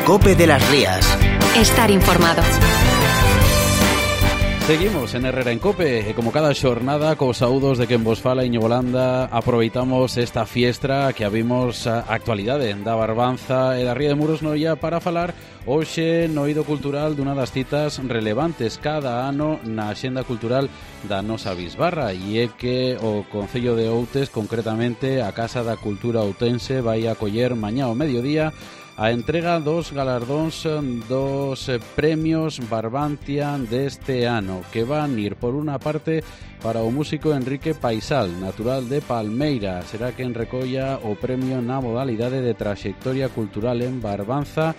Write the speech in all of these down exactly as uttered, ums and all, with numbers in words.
COPE de las Rías. Estar informado. Seguimos en Herrera en Cope, e como cada xornada, cos saúdos de quen vos fala Iñigo Landa, aproveitamos esta fiestra que habimos a actualidade da Barbanza e da Ría de Muros Noia para falar hoxe no eido cultural dunha das citas relevantes cada ano na axenda cultural da nosa bisbarra, e é que o Concello de Outes, concretamente a Casa da Cultura Outense, vai acoller mañá ao mediodía a entrega dos galardóns dos premios Barbantia deste ano, que van ir por unha parte para o músico Enrique Paisal, natural de Palmeira. Será quen recolla o premio na modalidade de traxectoria cultural en Barbanza.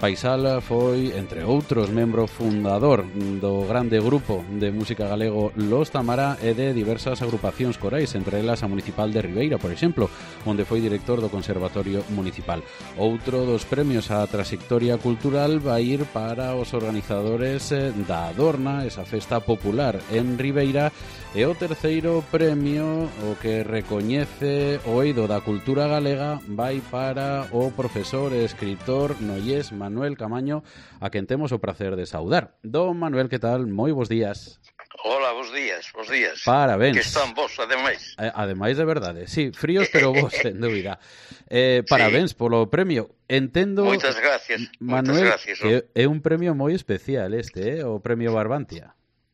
Paisal foi, entre outros, membro fundador do grande grupo de música galego Los Tamara e de diversas agrupacións corais, entre elas a Municipal de Ribeira, por exemplo, onde foi director do Conservatorio Municipal. Outro dos premios á traxectoria cultural vai ir para os organizadores da Adorna, esa festa popular en Ribeira, e o terceiro premio, o que recoñece o eido da cultura galega, vai para o profesor e escritor nollés Manuel Camaño, a quen temos o prazer de saudar. Don Manuel, que tal? Moi bons días. Hola, bons días, bons días. Parabéns. Que están vos, ademais. Eh, ademais de verdade, sí, fríos pero vos, sen dúbida. Eh, parabéns sí. Polo premio. Entendo, moitas gracias, Manuel, moitas gracias, que é un premio moi especial este, eh, o premio Barbantia.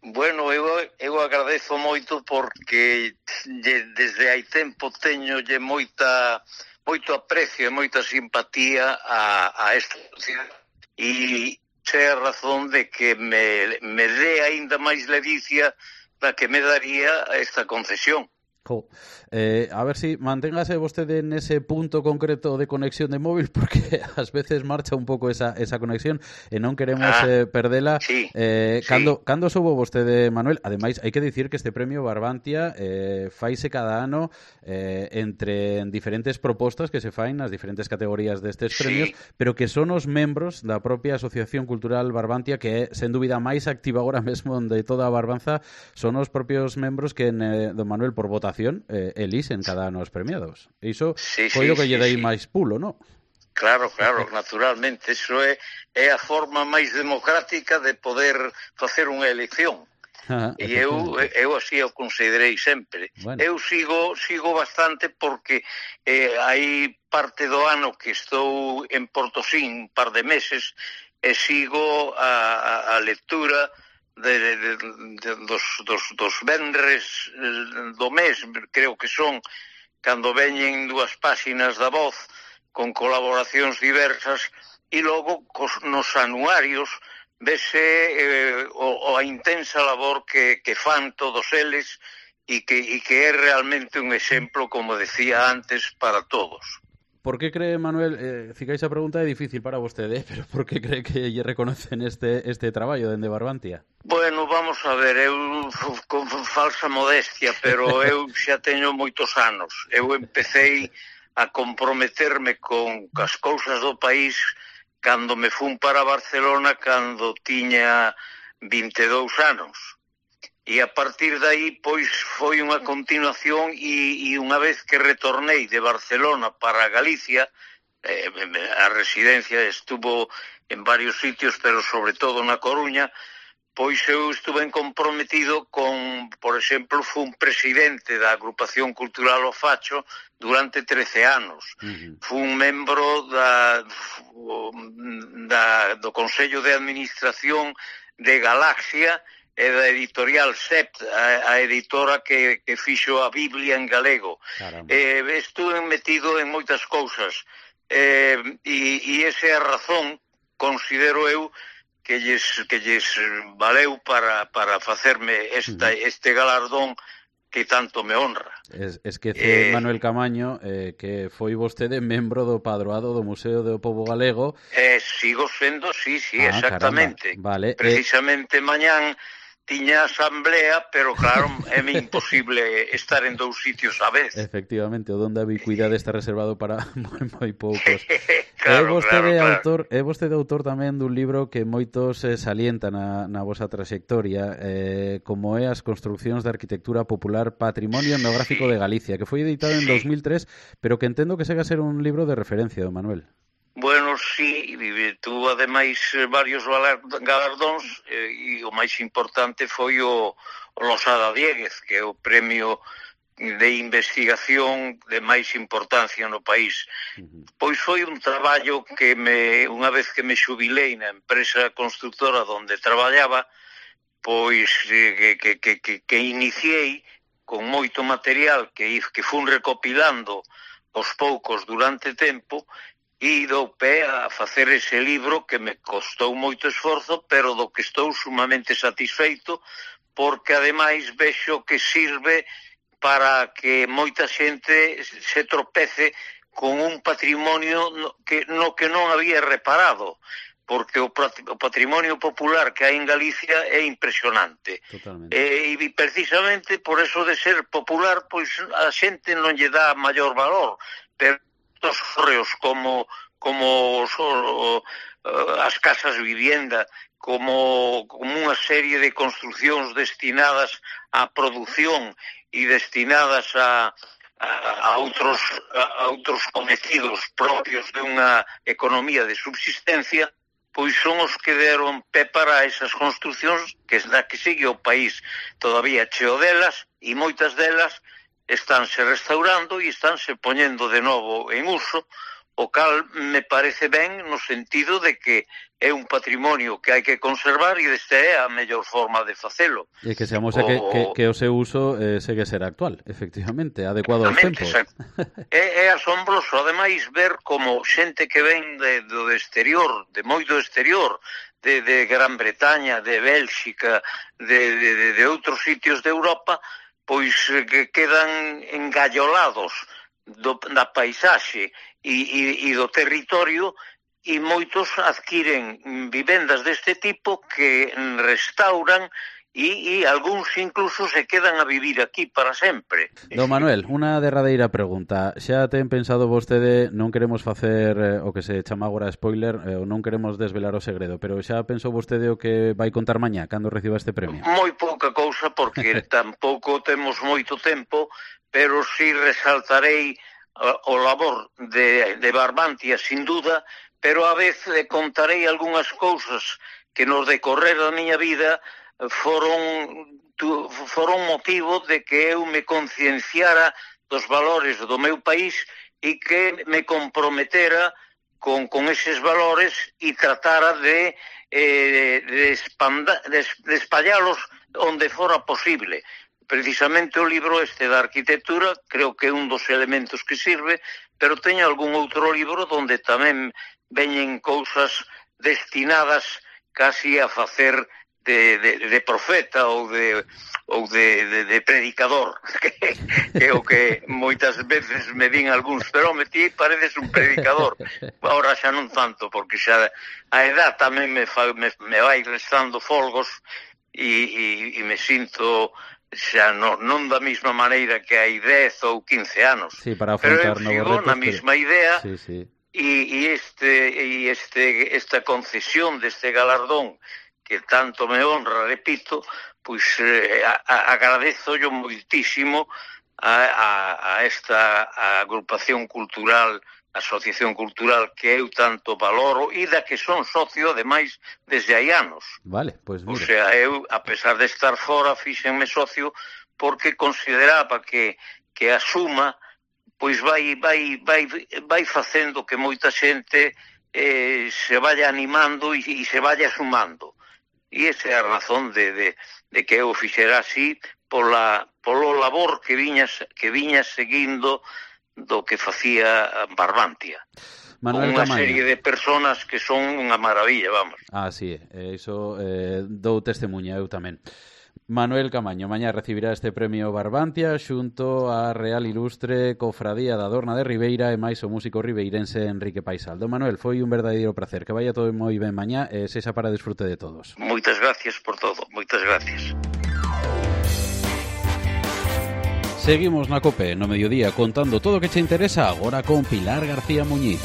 Bueno, eu, eu agradezo moito porque desde hai tempo teño lle moita, moito aprecio e moita simpatía a, a esta sociedade e sei a razón de que me, me dé aínda máis ledicia da que me daría esta concesión. Jo, eh, a ver si manténgase vostede nese punto concreto de conexión de móvil, porque ás veces marcha un pouco esa, esa conexión e non queremos ah, eh, perdela. Sí, eh, sí. Cando, cando soubo vostede, Manuel? Ademais, hai que dicir que este premio Barbantia eh, faise cada ano eh, entre diferentes propostas que se fain nas diferentes categorías destes premios, sí. Pero que son os membros da propia Asociación Cultural Barbantia, que é, sen dúbida, máis activa agora mesmo de toda a Barbanza. Son os propios membros que, eh, don Manuel, por votación Eh, elixen cada ano os premiados. Iso sí, foi sí, o que lle dei sí. máis pulo, non? Claro, claro, naturalmente. Iso é, é a forma máis democrática de poder facer unha elección. Ah, e eu, eu así o considerei sempre. Bueno. Eu sigo sigo bastante porque eh, hai parte do ano que estou en Portosín, un par de meses, e sigo a, a, a lectura De, de, de, de, dos, dos, dos venres do mes, creo que son, cando veñen dúas páxinas da Voz con colaboracións diversas, e logo cos, nos anuarios vese eh, o, o a intensa labor que, que fan todos eles e que, e que é realmente un exemplo, como decía antes, para todos. Por que cree, Manuel, eh, ficais a pregunta é difícil para vostede, pero por que cree que lle reconocen este este traballo dende Barbantia? Bueno, vamos a ver, eu con falsa modestia, pero eu xa teño moitos anos. Eu empecéi a comprometerme con as cousas do país cando me fun para Barcelona, cando tiña vinte e dous anos. E a partir de aí, pois, foi unha continuación e, e unha vez que retornei de Barcelona para Galicia, eh, a residencia estuvo en varios sitios, pero sobre todo na Coruña, pois eu estuve comprometido con, por exemplo, fun presidente da Agrupación Cultural O Facho durante trece anos. Uh-huh. Fun membro da, da, do Consello de Administración de Galaxia e da editorial Sept, a, a editora que, que fixo a Biblia en galego. Eh, estuve metido en moitas cousas eh, e, e esa é a razón, considero eu, que lles, que lles valeu para, para facerme esta, este galardón que tanto me honra. Es, esquece, eh, Manuel Camaño, eh, que foi vostede membro do padroado do Museo do Pobo Galego. Eh, sigo sendo, sí, sí, ah, exactamente. Vale, precisamente eh... mañán tiña asamblea, pero claro, é imposible estar en dous sitios a vez. Efectivamente, o don da ubicuidade está reservado para moi, moi poucos. Claro, é vostede claro, autor, claro. É vostede autor tamén dun libro que moitos eh, salientan na, na vosa trayectoria, eh, como é As construcións da arquitectura popular Patrimonio etnográfico sí. de Galicia, que foi editado en sí. dos mil tres, pero que entendo que segue a ser un libro de referencia, don Manuel. Bueno, sí, tuvo ademais varios galardóns e o máis importante foi o, o Losada Dieguez, que é o premio de investigación de máis importancia no país. Uh-huh. Pois foi un traballo que me, unha vez que me xubilei na empresa constructora onde traballaba, pois que, que, que, que, que iniciei con moito material que, que fun recopilando aos poucos durante tempo, e dou pé a facer ese libro que me costou moito esforzo, pero do que estou sumamente satisfeito, porque ademais vexo que sirve para que moita xente se tropece con un patrimonio no que, no que non había reparado, porque o patrimonio popular que hai en Galicia é impresionante. E, e precisamente por eso de ser popular, pois a xente non lle dá maior valor, pero os correos como como so, as casas vivienda, como, como unha serie de construcións destinadas á produción e destinadas a, a, a, outros, a, a outros cometidos propios de unha economía de subsistencia, pois son os que deron pé para esas construcións que da que sigue o país todavía cheo delas, e moitas delas estánse restaurando e estánse poñendo de novo en uso, o cal me parece ben no sentido de que é un patrimonio que hai que conservar e esta é a mellor forma de facelo. E que seamos o... que, que, que o seu uso eh, segue ser actual, efectivamente, adecuado aos tempos. É, é asombroso, ademais, ver como xente que ven de, do exterior, de moi do exterior, de, de Gran Bretaña, de Bélxica, de, de, de, de outros sitios de Europa, pois que quedan engallolados do, da paisaxe e, e, e do territorio, e moitos adquiren vivendas deste tipo que restauran e, e algúns incluso se quedan a vivir aquí para sempre. Don Manuel, unha derradeira pregunta. Xa ten pensado vostede, non queremos facer eh, o que se chama agora spoiler, eh, ou non queremos desvelar o segredo, pero xa pensou vostede o que vai contar mañá cando reciba este premio? Moi pouca cousa, porque tampouco temos moito tempo, pero si resaltarei o labor de, de Barbantia, sin duda, pero a vez contarei algunhas cousas que nos decorrer da miña vida foron, tu, foron motivo de que eu me concienciara dos valores do meu país e que me comprometera con, con eses valores e tratara de, eh, de, espanda, de, de espallalos onde fora posible. Precisamente o libro este da arquitectura creo que é un dos elementos que sirve, pero teño algún outro libro donde tamén veñen cousas destinadas casi a facer de, de, de profeta ou de ou de, de, de predicador, que, que é o que moitas veces me din algúns, pero me ti pareces un predicador. Ahora xa non tanto, porque xa a edad tamén me, fa, me, me vai restando folgos e, e, e me sinto xa non, non da mesma maneira que hai dez ou quince anos. Sí, para afrontar pero eu sigo na mesma que... idea. Sí, sí. E, e, este, e este, esta concesión deste galardón que tanto me honra, repito, pois eh, a, a, agradezo yo moitísimo a, a, a esta a agrupación cultural, asociación cultural que eu tanto valoro e da que son socio, ademais, desde hai anos. Vale, pois mira. O sea, eu, a pesar de estar fora, fíxenme socio porque consideraba que, que a suma pois vai, vai, vai, vai facendo que moita xente eh, se vaya animando e, e se vaya sumando. E esa é a razón de, de, de que eu fixera así pola, polo labor que viña, que viña seguindo do que facía Barbantia. Manuel Con unha Camaño. serie de personas que son unha maravilla, vamos. Ah, sí, iso eh, dou testemunha eu tamén. Manuel Camaño, mañá recibirá este premio Barbantia xunto á Real Ilustre Cofradía da Dorna de Ribeira e máis o músico ribeirense Enrique Paisal. Don Manuel, foi un verdadeiro placer. Que vaya todo moi ben mañá e sexa para disfrute de todos. Moitas gracias por todo, moitas gracias. Seguimos na COPE no mediodía contando todo o que che interesa agora con Pilar García Muñiz.